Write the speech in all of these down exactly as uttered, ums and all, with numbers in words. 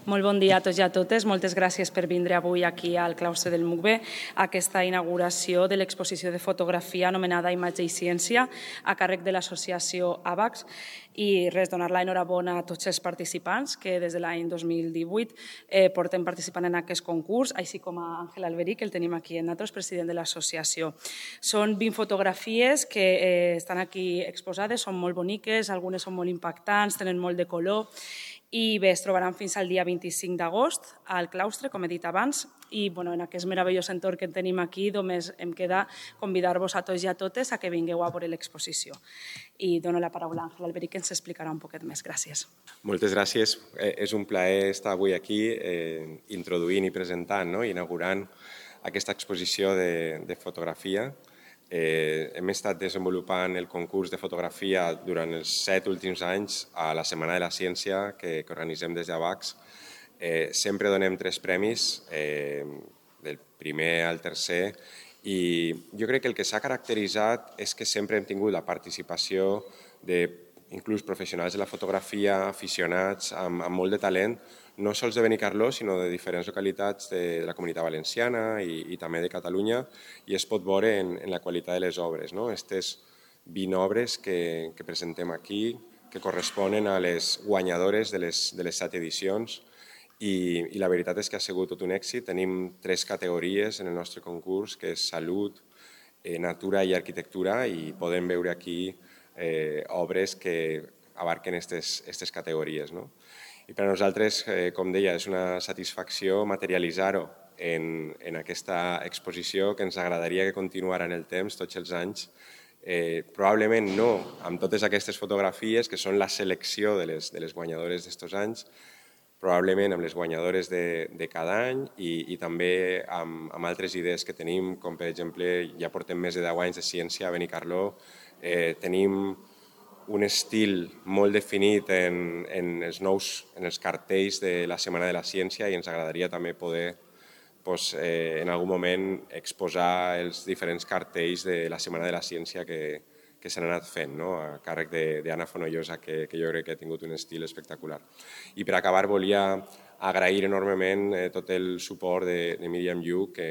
Molt bon dia a tots i a totes. Moltes gràcies per vindre avui aquí al claustre del M U C B a aquesta inauguració de l'exposició de fotografia anomenada Imatge i Ciència a càrrec de l'associació AVAX. I res, donar l'enhorabona a tots els participants que des de l'any dos mil divuit eh, portem participant en aquest concurs, així com a Àngel Alberic, que el tenim aquí en nosaltres, president de l'associació. Són vint fotografies que eh, estan aquí exposades, són molt boniques, algunes són molt impactants, tenen molt de color, i bé, es trobaran fins al dia vint-i-cinc d'agost al claustre, com he dit abans, i bueno, en aquest meravellós entorn que tenim aquí només em queda convidar-vos a tots i a totes a que vingueu a veure l'exposició. I dono la paraula a Àngel Alberic, que ens explicarà un poquet més. Gràcies. Moltes gràcies. Eh, és un plaer estar avui aquí eh, introduint i presentant, no? Inaugurant aquesta exposició de, de fotografia. Eh, hem estat desenvolupant el concurs de fotografia durant els set últims anys a la Setmana de la Ciència que, que organitzem des d'AVAX. Eh, sempre donem tres premis, eh, del primer al tercer, i jo crec que el que s'ha caracteritzat és que sempre hem tingut la participació de inclús professionals de la fotografia, aficionats, amb, amb molt de talent, no sols de Benicarló, sinó de diferents localitats de, de la Comunitat Valenciana i, i també de Catalunya, i es pot veure en, en la qualitat de les obres. No? Aquestes vint obres que, que presentem aquí, que corresponen a les guanyadores de les, de les set edicions, i, i la veritat és que ha sigut tot un èxit. Tenim tres categories en el nostre concurs, que és salut, eh, natura i arquitectura, i podem veure aquí Eh, obres que abarquen aquestes categories. No? I per a nosaltres, eh, com deia, és una satisfacció materialitzar-ho en, en aquesta exposició que ens agradaria que continuara en el temps, tots els anys. Eh, probablement no amb totes aquestes fotografies, que són la selecció de les, de les guanyadores d'estos anys, probablement amb les guanyadores de, de cada any i, i també amb, amb altres idees que tenim, com per exemple, ja portem més de deu anys de ciència a Benicarló. Eh, tenim un estil molt definit en, en, els nous, en els cartells de la Setmana de la Ciència, i ens agradaria també poder pues, eh, en algun moment exposar els diferents cartells de la Setmana de la Ciència que, que s'han anat fent, no? A càrrec d'Anna Fonollosa, que, que jo crec que ha tingut un estil espectacular. I per acabar volia agrair enormement eh, tot el suport de, de Míriam Lluc, que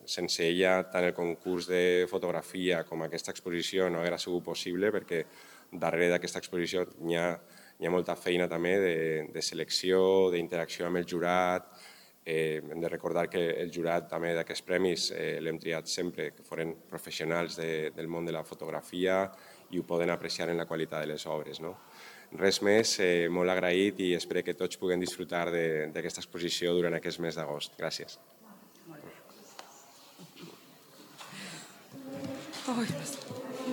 sense ella tant el concurs de fotografia com aquesta exposició no hauria sigut possible, perquè darrere d'aquesta exposició hi ha, hi ha molta feina també de, de selecció, d'interacció amb el jurat. Eh, hem de recordar que el jurat també d'aquests premis eh, l'hem triat sempre que foren professionals de, del món de la fotografia i ho poden apreciar en la qualitat de les obres. No? Res més, eh, molt agraït, i espero que tots puguem disfrutar d'aquesta exposició durant aquest mes d'agost. Gràcies. Ai,